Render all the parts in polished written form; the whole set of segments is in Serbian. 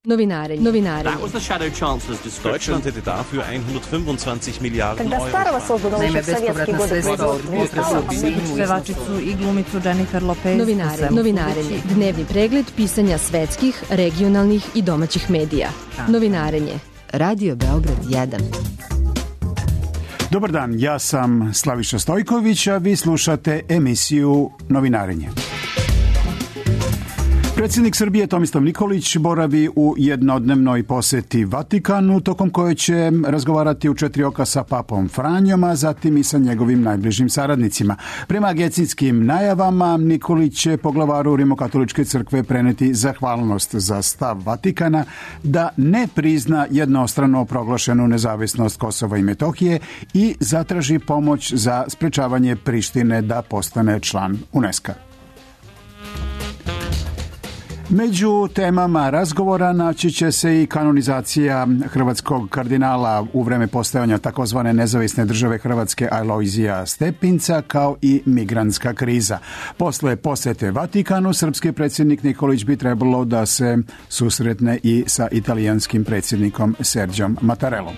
Novinarenje. Deutschland hätte dafür 125 Milijarden Euro. Naime, bespovratna sredstva od pevačicu i glumicu Jennifer Lopez. Novinarenje. Dnevni pregled pisanja svetskih, regionalnih i domaćih medija. Novinarenje. Radio Beograd 1. Dobar dan, ja sam Slaviša Stojković, a vi slušate emisiju Novinarenje. Predsjednik Srbije Tomislav Nikolić boravi u jednodnevnoj poseti Vatikanu, tokom koje će razgovarati u 4 oka sa papom Franjom, a zatim i sa njegovim najbližim saradnicima. Prema agencijskim najavama, Nikolić će poglavaru Rimokatoličke crkve preneti zahvalnost za stav Vatikana da ne prizna jednostrano proglašenu nezavisnost Kosova i Metohije i zatraži pomoć za sprečavanje Prištine da postane član UNESCO-a. Među temama razgovora naći će se i kanonizacija hrvatskog kardinala u vreme postojanja takozvane nezavisne države Hrvatske Alojzija Stepinca, kao i migrantska kriza. Posle posete Vatikanu, srpski predsjednik Nikolić bi trebalo da se susretne i sa italijanskim predsjednikom Serđom Mattarellom.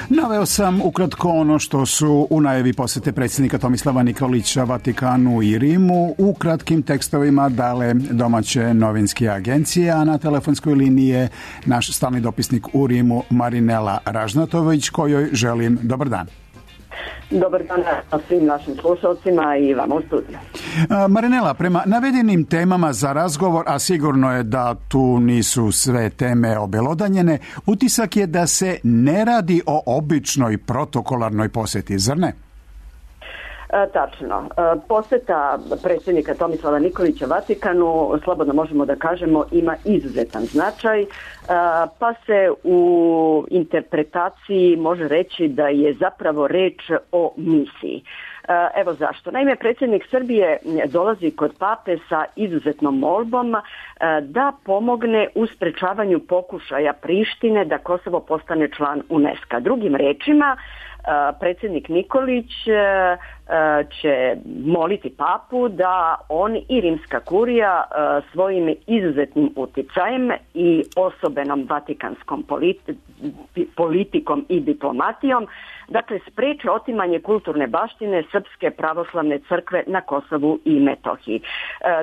Naveo sam ukratko ono što su u najavi posete predsjednika Tomislava Nikolića Vatikanu i Rimu u kratkim tekstovima dale domaće novinske agencije, a na telefonskoj liniji je naš stalni dopisnik u Rimu Marinela Ražnatović, kojoj želim dobar dan. Dobar dan svim našim slušalcima i vama u studiju. Marinela, prema navedenim temama za razgovor, a sigurno je da tu nisu sve teme obelodanjene, utisak je da se ne radi o običnoj protokolarnoj posjeti, zar ne? Tačno. Posjeta predsjednika Tomislava Nikolića Vatikanu, slobodno možemo da kažemo, ima izuzetan značaj, pa se u interpretaciji može reći da je zapravo reč o misiji. Evo zašto. Naime, predsjednik Srbije dolazi kod pape sa izuzetnom molbom da pomogne u sprečavanju pokušaja Prištine da Kosovo postane član UNESCO-a. Drugim rečima, predsjednik Nikolić će moliti papu da on i rimska kurija svojim izuzetnim uticajem i osobenom vatikanskom politikom i diplomatijom, dakle, spreče otimanje kulturne baštine Srpske pravoslavne crkve na Kosovu i Metohiji.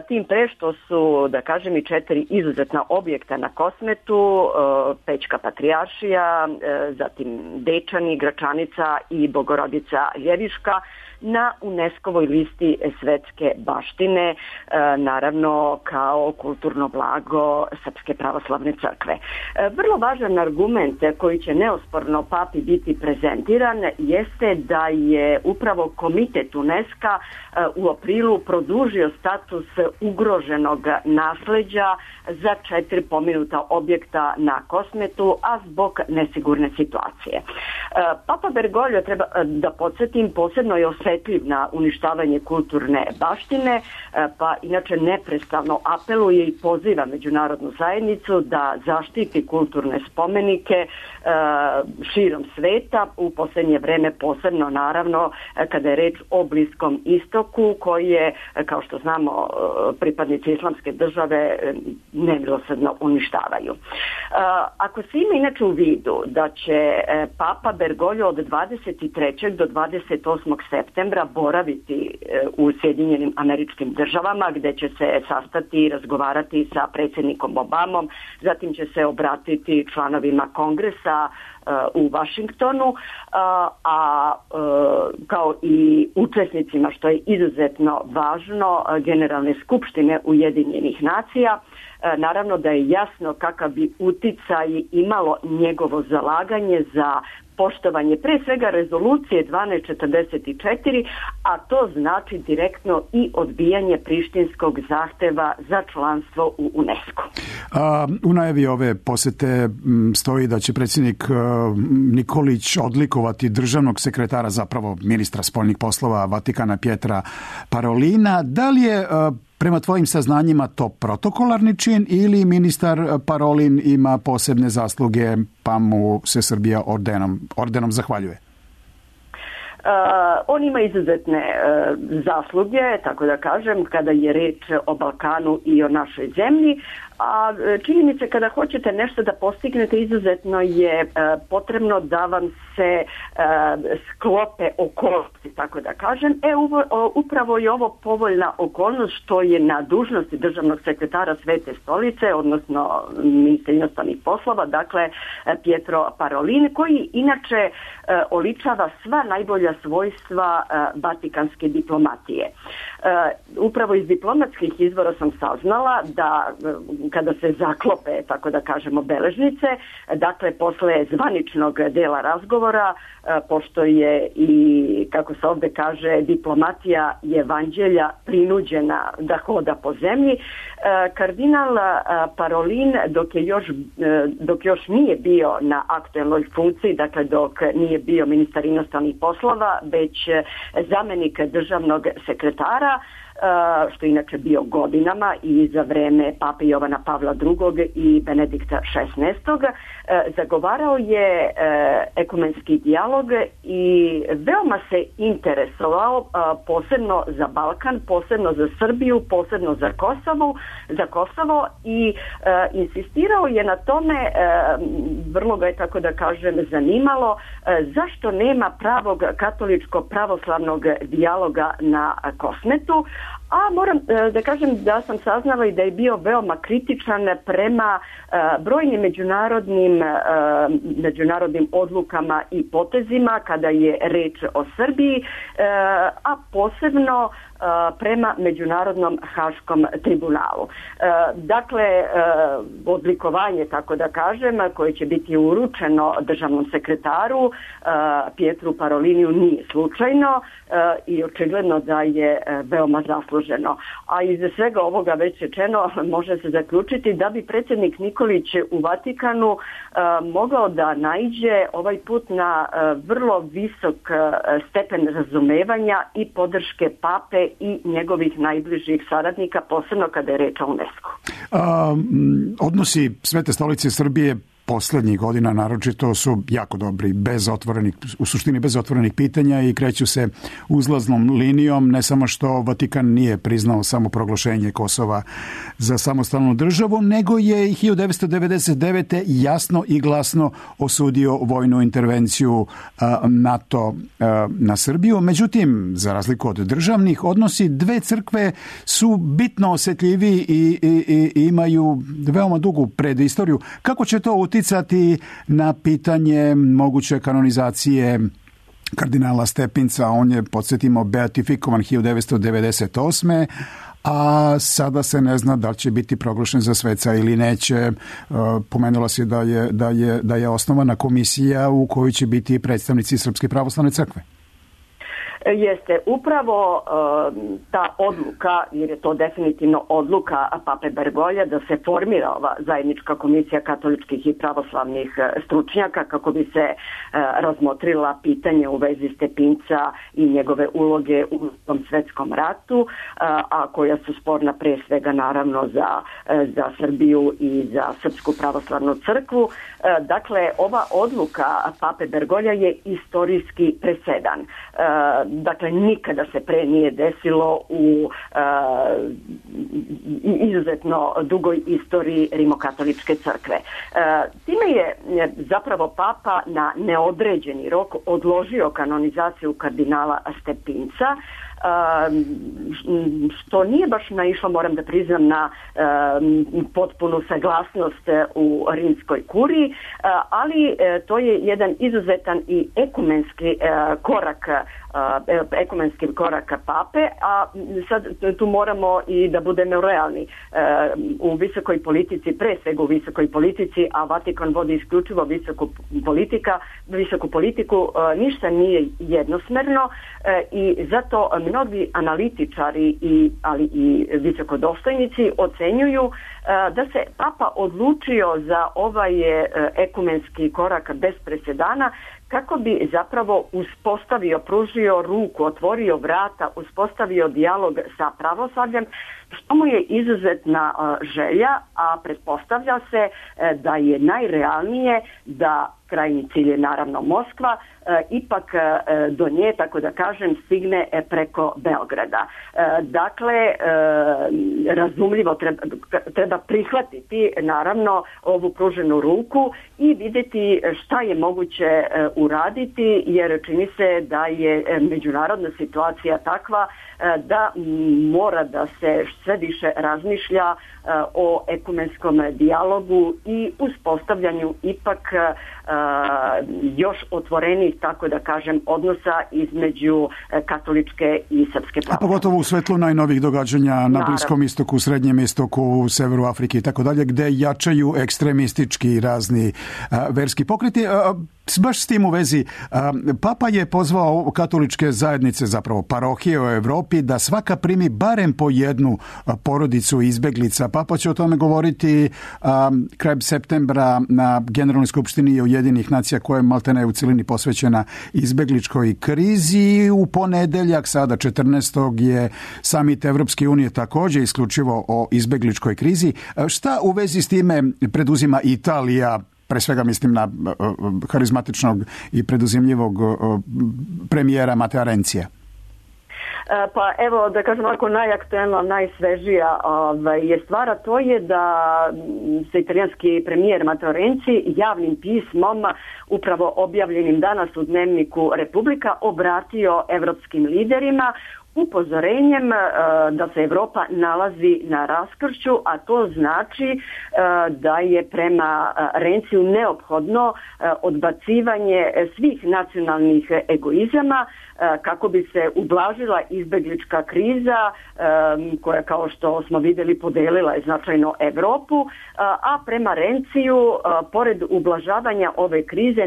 Tim pre što su, da kažem, i 4 izuzetna objekta na Kosmetu, Pećka patrijaršija, zatim Dečani, Gračanica i Bogorodica Ljeviška, na UNESCO-voj listi svetske baštine, naravno kao kulturno blago Srpske pravoslavne crkve. Vrlo važan argument koji će neosporno papi biti prezentiran jeste da je upravo komitet UNESCO-a u aprilu produžio status ugroženog nasleđa za 4 pomenuta objekta na Kosmetu, a zbog nesigurne situacije. Papa Bergoglio, treba da podsjetim, posebno je osjetljiv na uništavanje kulturne baštine, pa inače neprestano apeluje i poziva međunarodnu zajednicu da zaštiti kulturne spomenike širom sveta, u posljednje vreme posebno naravno kada je reč o Bliskom istoku, koji je, kao što znamo, pripadnici islamske države nemilosrdno uništavaju. Ako se ima inače u vidu da će Papa Bergoglio od 23. do 28. septembra boraviti u Sjedinjenim Američkim Državama, gde će se sastati i razgovarati sa predsjednikom Obamom, zatim će se obratiti članovima Kongresa u Vašingtonu, a kao i učesnicima, što je izuzetno važno, Generalne skupštine Ujedinjenih nacija. Naravno da je jasno kakav bi uticaj imalo njegovo zalaganje za poštovanje pre svega rezolucije 1244, a to znači direktno i odbijanje prištinskog zahteva za članstvo u UNESCO. U najavi ove posete stoji da će predsjednik Nikolić odlikovati državnog sekretara, zapravo ministra spoljnih poslova Vatikana Pietra Parolina. Da li je prema tvojim saznanjima to protokolarni čin ili ministar Parolin ima posebne zasluge pa mu se Srbija ordenom zahvaljuje? On ima izuzetne zasluge, tako da kažem, kada je reč o Balkanu i o našoj zemlji, a čini mi se kada hoćete nešto da postignete, izuzetno je potrebno da vam se sklope okolnosti, tako da kažem. Upravo je ovo povoljna okolnost što je na dužnosti državnog sekretara Svete stolice, odnosno ministra inostranih poslova, dakle Pietro Parolin, koji inače oličava sva najbolja svojstva vatikanske diplomatije. Upravo iz diplomatskih izvora sam saznala da kada se zaklope, tako da kažemo, beležnice, dakle posle zvaničnog dela razgovora, pošto je i, kako se ovde kaže, diplomatija evanđelja prinuđena da hoda po zemlji, kardinal Parolin dok još nije bio na aktuelnoj funkciji, dakle dok nije bio ministar inostranih poslova, već zamenik državnog sekretara, što je inače bio godinama i za vreme pape Jovana Pavla II. I Benedikta XVI. Zagovarao je ekumenski dijalog i veoma se interesovao posebno za Balkan, posebno za Srbiju, posebno za Kosovo i insistirao je na tome, vrlo ga je, tako da kažem, zanimalo zašto nema pravog katoličko-pravoslavnog dijaloga na Kosmetu. A moram da kažem da sam saznala i da je bio veoma kritičan prema brojnim međunarodnim odlukama i potezima kada je reč o Srbiji, a posebno prema Međunarodnom haškom tribunalu. Dakle, odlikovanje, tako da kažem, koje će biti uručeno državnom sekretaru Pietru Paroliniju nije slučajno i očigledno da je veoma zasluženo. A iz svega ovoga već rečeno može se zaključiti da bi predsjednik Nikolić u Vatikanu mogao da naiđe ovaj put na vrlo visok stepen razumevanja i podrške pape i njegovih najbližih saradnika, posebno kada je reč o UNESCO. Odnosi Svete stolice Srbije poslednjih godina naročito su jako dobri, u suštini bez otvorenih pitanja i kreću se uzlaznom linijom, ne samo što Vatikan nije priznao samoproglašenje Kosova za samostalnu državu, nego je 1999. jasno i glasno osudio vojnu intervenciju NATO na Srbiju. Međutim, za razliku od državnih, odnosi dve crkve su bitno osetljiviji i imaju veoma dugu predistoriju. Kako će to uticati na pitanje moguće kanonizacije kardinala Stepinca? On je, podsjetimo, beatifikovan 1998. a sada se ne zna da li će biti proglašen za sveca ili neće. Pomenula se da je osnovana komisija u kojoj će biti predstavnici Srpske pravoslavne crkve. Jeste, upravo ta odluka, jer je to definitivno odluka pape Bergolja da se formira ova zajednička komisija katoličkih i pravoslavnih stručnjaka kako bi se razmotrila pitanje u vezi Stepinca i njegove uloge u tom svetskom ratu, a koja su sporna pre svega naravno za Srbiju i za Srpsku pravoslavnu crkvu. Dakle, ova odluka pape Bergolja je istorijski presedan. Dakle, nikada se pre nije desilo u izuzetno dugoj istoriji rimokatoličke crkve. Time je zapravo papa na neodređeni rok odložio kanonizaciju kardinala Stepinca, što nije baš naišlo, moram da priznam, na potpunu saglasnost u rimskoj kuriji, ali to je jedan izuzetan i ekumenski korak pape, a sad tu moramo i da budemo realni. U visokoj politici, pre svega u visokoj politici, a Vatikan vodi isključivo visoku politiku, ništa nije jednosmerno i zato mnogi analitičari ali i visokodostojnici ocenjuju da se papa odlučio za ovaj ekumenski korak bez presedana kako bi zapravo uspostavio, pružio ruku, otvorio vrata, uspostavio dijalog sa pravoslavljem, što mu je izuzetna želja, a pretpostavlja se da je najrealnije da krajnji cilj je naravno Moskva, ipak do nje, tako da kažem, stigne preko Beograda. Dakle, razumljivo treba prihvatiti naravno ovu pruženu ruku i vidjeti šta je moguće uraditi, jer čini se da je međunarodna situacija takva da mora da se sve više razmišlja o ekumenskom dijalogu i uspostavljanju ipak još otvorenih, tako da kažem, odnosa između katoličke i srpske pravoslavne. A pogotovo u svetlu najnovih događanja na Bliskom istoku, Srednjem istoku, u severu Afrike i tako dalje, gde jačaju ekstremistički razni verski pokreti. Baš s tim u vezi, Papa je pozvao katoličke zajednice, zapravo parohije u Evropi, da svaka primi barem po jednu porodicu izbeglica. Papa će o tome govoriti krajem septembra na Generalnoj skupštini Ujedinjenih nacija, koja je maltene u cilini posvećena izbegličkoj krizi. U ponedeljak, sada 14. je samit Evropske unije također isključivo o izbegličkoj krizi. Šta u vezi s time preduzima Italija? Pre svega mislim na harizmatičnog i preduzimljivog premijera Matea Renzija. Pa evo, da kažem ovako, najaktuelna, najsvežija je stvar, a to je da se italijanski premijer Matteo Renzi javnim pismom, upravo objavljenim danas u dnevniku Republika, obratio evropskim liderima upozorenjem da se Evropa nalazi na raskršću, a to znači da je prema Renziju neophodno odbacivanje svih nacionalnih egoizama kako bi se ublažila izbeglička kriza koja, kao što smo vidjeli, podelila je značajno Evropu, a prema Renziju, pored ublažavanja ove krize,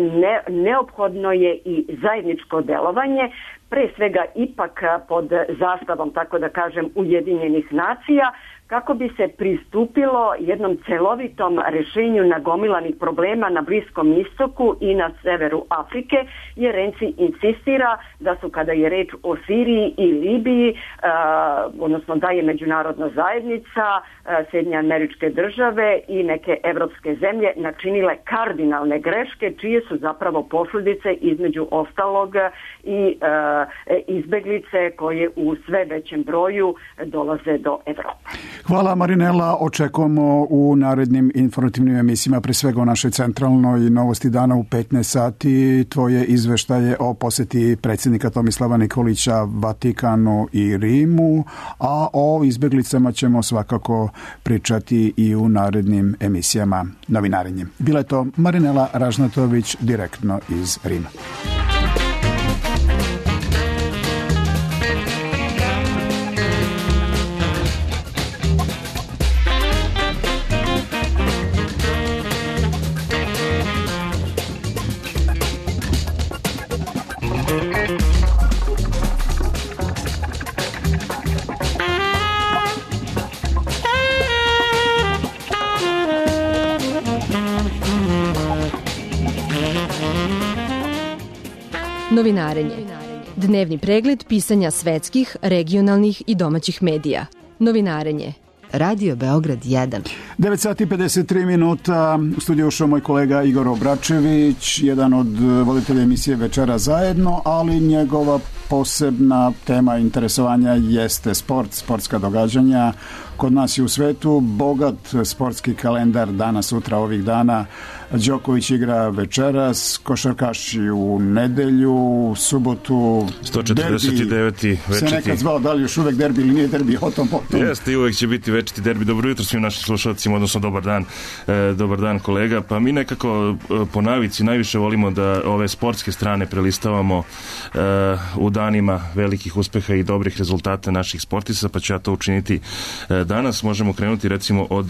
neophodno je i zajedničko delovanje, pre svega ipak pod zastavom, tako da kažem, Ujedinjenih nacija, kako bi se pristupilo jednom celovitom rješenju nagomilanih problema na Bliskom istoku i na severu Afrike, jer Renzi insistira da su, kada je reč o Siriji i Libiji, odnosno da je međunarodna zajednica, Sjedinjene Američke Države i neke evropske zemlje načinile kardinalne greške, čije su zapravo posljedice između ostalog i izbeglice koje u sve većem broju dolaze do Evrope. Hvala, Marinela. Očekujemo u narednim informativnim emisijama, pre svega o našoj centralnoj Novosti dana u 15 sati, tvoje izveštaje o posjeti predsjednika Tomislava Nikolića Vatikanu i Rimu, a o izbjeglicama ćemo svakako pričati i u narednim emisijama Novinarenje. Bila je to Marinela Ražnatović direktno iz Rima. Novinarenje. Dnevni pregled pisanja svetskih, regionalnih i domaćih medija. Novinarenje. Radio Beograd 1. 9 sati 53 minuta. U studiju ušao moj kolega Igor Obračević, jedan od voditelja emisije Večera zajedno, ali njegova posebna tema interesovanja jeste sport, sportska događanja. Kod nas i u svetu bogat sportski kalendar danas, sutra, ovih dana. Đoković igra večeras, košarkaši u nedelju, u subotu 149. večiti. Se nekad zvao, da li još uvek derbi ili nije derbi, o tom potom. Jeste, i uvek će biti večiti derbi. Dobro jutro svim našim slušalcima, odnosno dobar dan kolega. Pa mi nekako po navici najviše volimo da ove sportske strane prelistavamo u danima velikih uspeha i dobrih rezultata naših sportista, pa ću ja to učiniti danas. Možemo krenuti recimo od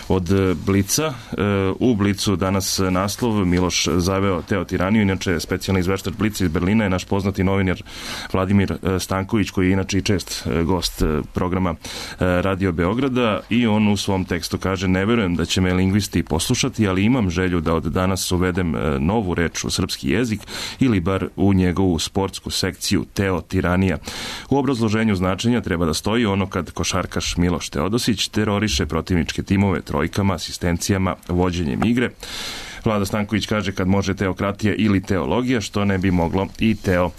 od Blica. U Blicu danas naslov Miloš zaveo Teo tiraniju, inače specijalni izveštač Blica iz Berlina je naš poznati novinar Vladimir Stanković, koji je inače i čest gost programa Radio Beograda, i on u svom tekstu kaže: ne verujem da će me lingvisti poslušati, ali imam želju da od danas uvedem novu reč u srpski jezik ili bar u njegovu sportsku sekciju Teo tiranija. U obrazloženju značenja treba da stoji ono kad košarkaš Miloš Teodosić teroriše protivničke timove trojkama, asistencijama, vođenjem igre. Vlada Stanković kaže kad može teokratija ili teologija, što ne bi moglo i teo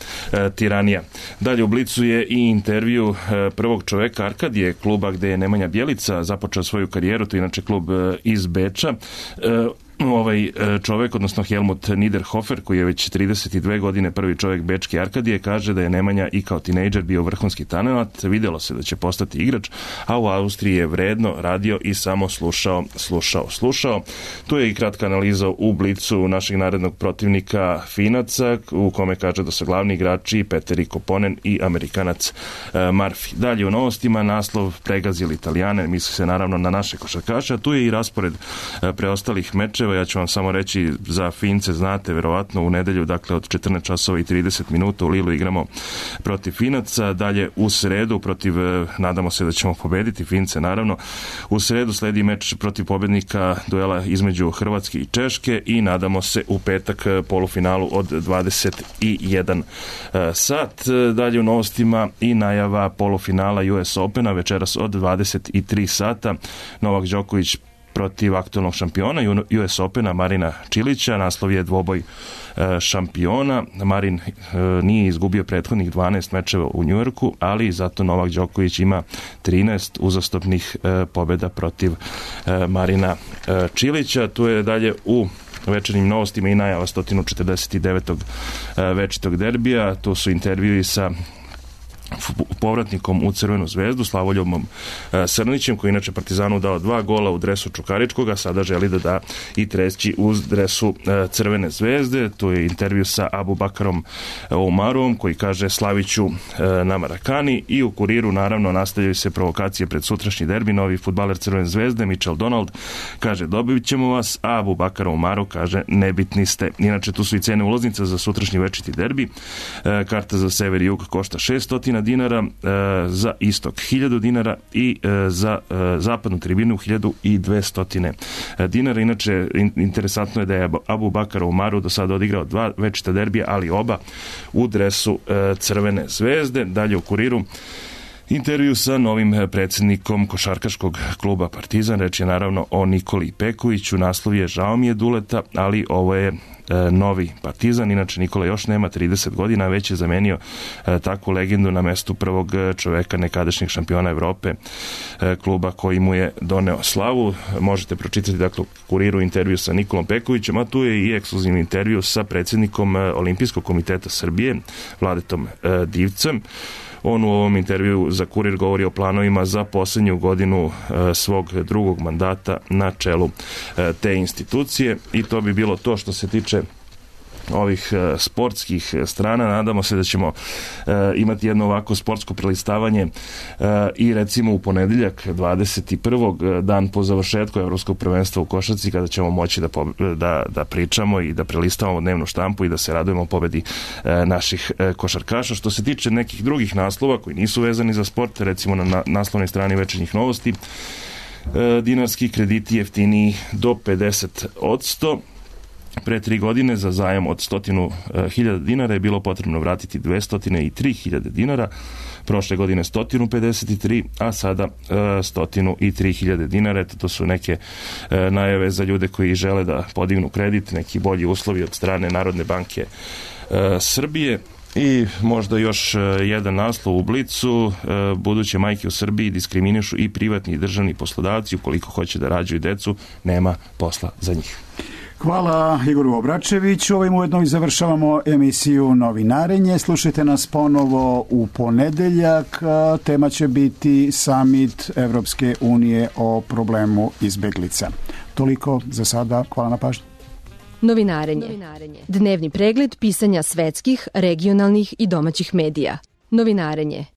tiranija. Dalje u Blicu je i intervju prvog čoveka Arkadije, kluba gde je Nemanja Bjelica započeo svoju karijeru, to je inače klub iz Beča. Ovaj čovek, odnosno Helmut Niederhofer, koji je već 32 godine prvi čovek bečke Arkadije, kaže da je Nemanja i kao tinejdžer bio vrhunski talent, videlo se da će postati igrač, a u Austriji je vredno radio i samo slušao. Tu je i kratka analiza u Blicu našeg narednog protivnika Finaca, u kome kaže da su glavni igrači Peteri Koponen i Amerikanac Murphy. Dalje u novostima naslov pregazili Italijane, misli se naravno na naše košarkaše, a tu je i raspored preostalih mečeva. Ja ću vam samo reći za Fince, znate, verovatno u nedelju, dakle od 14 časova i 30 minuta u Lilu igramo protiv Finaca. Dalje u sredu protiv, nadamo se da ćemo pobediti Fince, naravno. U sredu sledi meč protiv pobednika duela između Hrvatske i Češke i nadamo se u petak polufinalu od 21 sat. Dalje u novostima i najava polufinala US Opena večeras od 23 sata. Novak Đoković protiv aktualnog šampiona US Opena Marina Čilića. Naslov je dvoboj šampiona. Marin nije izgubio prethodnih 12 mečeva u Njujorku, ali zato Novak Đoković ima 13 uzastopnih pobjeda protiv Marina Čilića. Tu je dalje u večernjim novostima i najava 149. večitog derbija. Tu su intervjui sa povratnikom u Crvenu zvezdu, Slavoljubom Srnićem, koji inače Partizanu dao 2 gola u dresu Čukaričkog, a sada želi da da i treći u dresu Crvene zvezde. Tu je intervju sa Abu Bakarom Umarom, koji kaže slaviću na Marakani, i u Kuriru naravno nastavljaju se provokacije pred sutrašnji derbi. Novi fudbaler Crvene zvezde Mitchell Donald kaže dobit ćemo vas, a Abu Bakar Umaru kaže nebitni ste. Inače tu su i cene ulaznica za sutrašnji večiti derbi. Karta za sever i jug košta 600 dinara, za istok 1000 dinara i za zapadnu tribinu 1200 dinara. Inače, interesantno je da je Abu Bakar Umaru do sada odigrao 2 večita derbija, ali oba u dresu Crvene zvezde. Dalje u Kuriru intervju sa novim predsjednikom košarkaškog kluba Partizan. Reč je naravno o Nikoli Pekoviću. Naslov je žao mi je Duleta, ali ovo je novi Partizan. Inače Nikola još nema 30 godina, već je zamenio takvu legendu na mestu prvog čoveka nekadašnjeg šampiona Evrope, kluba koji mu je doneo slavu. Možete pročitati dakle u Kuriru intervju sa Nikolom Pekovićem, a tu je i ekskluzivni intervju sa predsjednikom Olimpijskog komiteta Srbije Vladetom Divcem. On u ovom intervju za Kurir govori o planovima za posljednju godinu svog drugog mandata na čelu te institucije, i to bi bilo to što se tiče ovih sportskih strana. Nadamo se da ćemo imati jedno ovako sportsko prelistavanje i recimo u ponedeljak 21. dan po završetku Evropskog prvenstva u košarci, kada ćemo moći da pričamo i da prelistavamo dnevnu štampu i da se radujemo pobedi naših košarkaša. Što se tiče nekih drugih naslova koji nisu vezani za sport, recimo na naslovnoj strani Večernjih novosti, dinarski krediti jeftiniji do 50%. Pre 3 godine za zajam od 100.000 dinara je bilo potrebno vratiti 203.000 dinara, prošle godine 153, a sada 103.000 dinara. Eto, to su neke najave za ljude koji žele da podignu kredit, neki bolji uslovi od strane Narodne banke Srbije. I možda još jedan naslov u Blicu: buduće majke u Srbiji diskriminišu i privatni i državni poslodavci, ukoliko hoće da rađaju decu, nema posla za njih. Hvala Igoru Obračeviću. Ovim ujedno i završavamo emisiju Novinarenje. Slušajte nas ponovo u ponedeljak. Tema će biti Samit Evropske unije o problemu izbeglica. Toliko za sada. Hvala na pažnji. Novinarenje. Dnevni pregled pisanja svetskih, regionalnih i domaćih medija. Novinarenje.